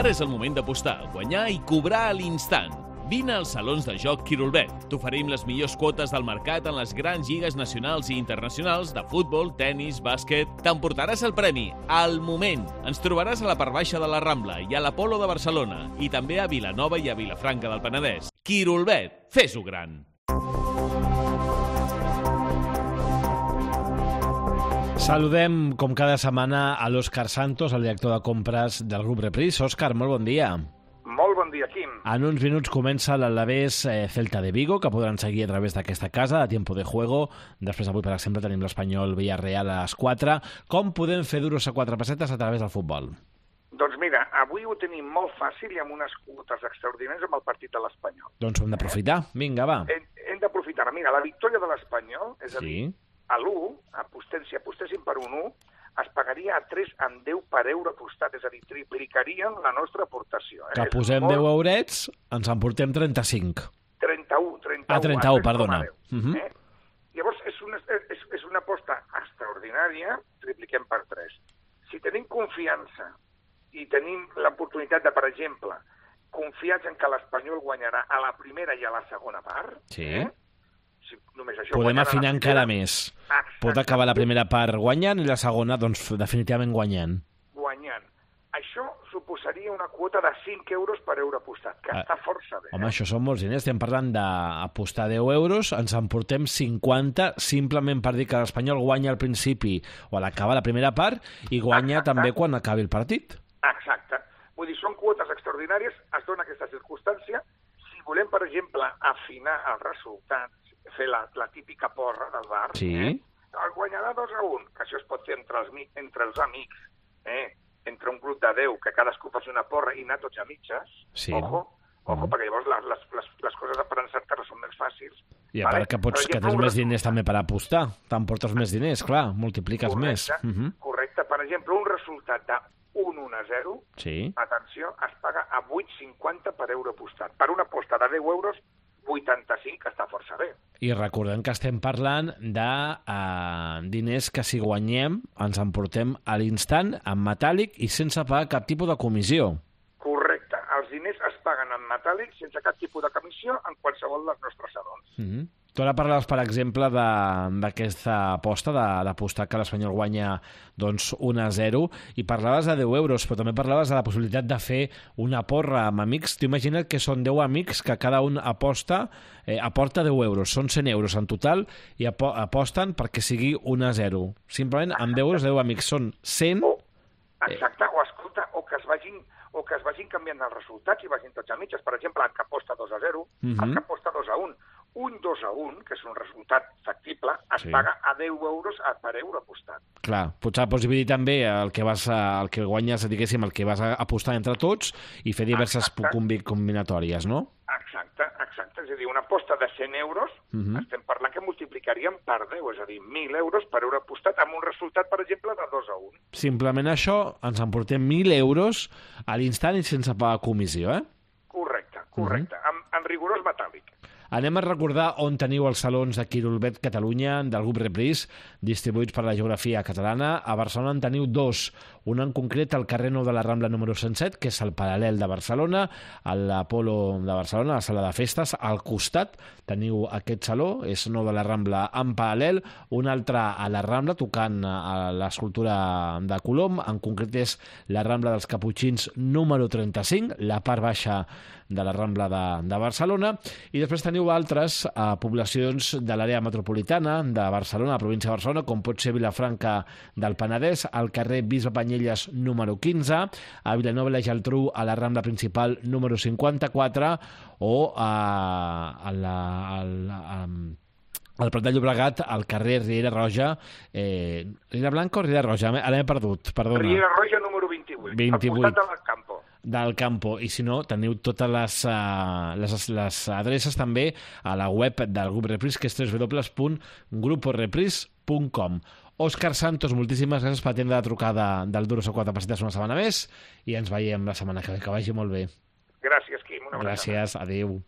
Ara és el moment d'apostar, guanyar i cobrar a l'instant. Vine als salons de joc Quirolbet. T'oferim les millors quotes del mercat en les grans lligues nacionals i internacionals de futbol, tennis, bàsquet. T'emportaràs el premi al moment. Ens trobaràs a la part baixa de la Rambla i a l'Apolo de Barcelona i també a Vilanova i a Vilafranca del Penedès. Quirolbet, fes-ho gran. Saludem, com cada setmana, a l'Òscar Santos, el director de compres del grup Reprise. Òscar, molt bon dia. Molt bon dia, Quim. En uns minuts comença l'Alavés Celta de Vigo, que podran seguir a través d'aquesta casa, a Tiempo de Juego. Després, avui, per exemple, tenim l'Espanyol Villarreal a les 4. Com podem fer duros a 4 pessetes a través del futbol? Doncs mira, avui ho tenim molt fàcil i amb unes quotes extraordinàries amb el partit de l'Espanyol. Doncs ho hem d'aprofitar. Vinga, va. Hem d'aprofitar. Mira, la victòria de l'Espanyol, és a dir, Sí. a l'1, si apostéssim per un 1, es pagaria a 3,10 per euro apostat, és a dir, triplicarien la nostra aportació. Que posem 10 eurets, ens en portem 35. 31. 31, perdona. Llavors, és una aposta extraordinària, tripliquem per 3. Si tenim confiança i tenim l'oportunitat de, per exemple, confiats en que l'Espanyol guanyarà a la primera i a la segona part, Sí. si només això Podem guanyarà afinar la encara primera, més. Pot acabar la primera part guanyant i la segona, doncs, definitivament guanyant. guanyant. Això suposaria una quota de 5 euros per euro apostat, que està força bé. Home, això són molts diners. Estem parlant d'apostar 10 euros, ens en portem 50 simplement per dir que l'Espanyol guanya al principi o a l'acabar la primera part i guanya també quan acabi el partit. Exacte. Vull dir, són quotes extraordinàries, es dona aquesta circumstància. Si volem, per exemple, afinar els resultats, fer la típica porra del bar, Sí. el guanyarà 2-1, que això es pot fer entre els amics, entre un grup de 10, que cadascú faci una porra i anar tots a mitges. Sí. Ojo, perquè llavors les coses per encertar són més fàcils. I a part que tens més diners també per apostar. T'emportes més diners, clar, multipliques més. Correcte. Per exemple, un resultat de 1-1-0, Sí. atenció, es paga a 8,50 per euro apostat. Per una aposta de 10 euros, 85, que està força bé. I recordem que estem parlant de diners que si guanyem ens emportem a l'instant, en metàl·lic i sense pagar cap tipus de comissió. Correcte. Els diners es paguen en metàl·lic sense cap tipus de comissió en qualsevol dels nostres salons. Tu ara parlaves, per exemple, d'aquesta aposta, d'apostar que l'Espanyol guanya doncs, 1-0, i parlaves de 10 euros, però també parlaves de la possibilitat de fer una porra amb amics. T'imagina't que són 10 amics que cada un aporta 10 euros. Són 100 euros en total i aposten perquè sigui 1-0. Simplement, amb 10 euros, 10 amics són 100... Exacte, o escolta, o que es vagin canviant els resultats i vagin tots a mitges. Per exemple, el que aposta 2-0, el que aposta 2-1. Un 2-1, que és un resultat factible, es paga a 10 euros per euro apostat. Clar, potser pots dividir també el que guanyes, diguéssim, el que vas a apostar entre tots i fer diverses combinatòries, no? Exacte. És a dir, una aposta de 100 euros, estem parlant que multiplicaríem per 10, és a dir, 1.000 euros per euro apostat amb un resultat, per exemple, de 2-1. Simplement això, ens emportem 1.000 euros a l'instant i sense pagar comissió, eh? Correcte. En rigorós metàl·lic. Anem a recordar on teniu els salons de Quirolbet Catalunya del grup Reprise, distribuïts per la geografia catalana. A Barcelona en teniu 2. Un en concret al carrer Nou de la Rambla número 107, que és el Paral·lel de Barcelona, a l'Apolo de Barcelona, a la sala de festes. Al costat teniu aquest saló, és Nou de la Rambla en paral·lel. Un altre a la Rambla, tocant a l'escultura de Colom. En concret és la Rambla dels Caputxins número 35, la part baixa de la Rambla de Barcelona. I després teniu altres poblacions de l'àrea metropolitana de Barcelona, la província de Barcelona, com pot ser Vilafranca del Penedès, al carrer Bisbe Banyelles número 15, a Vilanova i la Geltrú, a la Rambla principal número 54, o al Prat de Llobregat, al carrer Riera Roja, Riera Blanca o Riera Roja? Ara m'he perdut, perdona. Riera Roja número 28, al costat del Campo. Del Campo, i si no, teniu totes les adreces també a la web del grup Reprise, que és www.gruporeprise.com. Òscar Santos, moltíssimes gràcies per atendre la trucada del Duros a 4 pessetes una setmana més i ens veiem la setmana que ve. Que vagi molt bé. Gràcies, Quim. Una abraçada. Gràcies, adéu.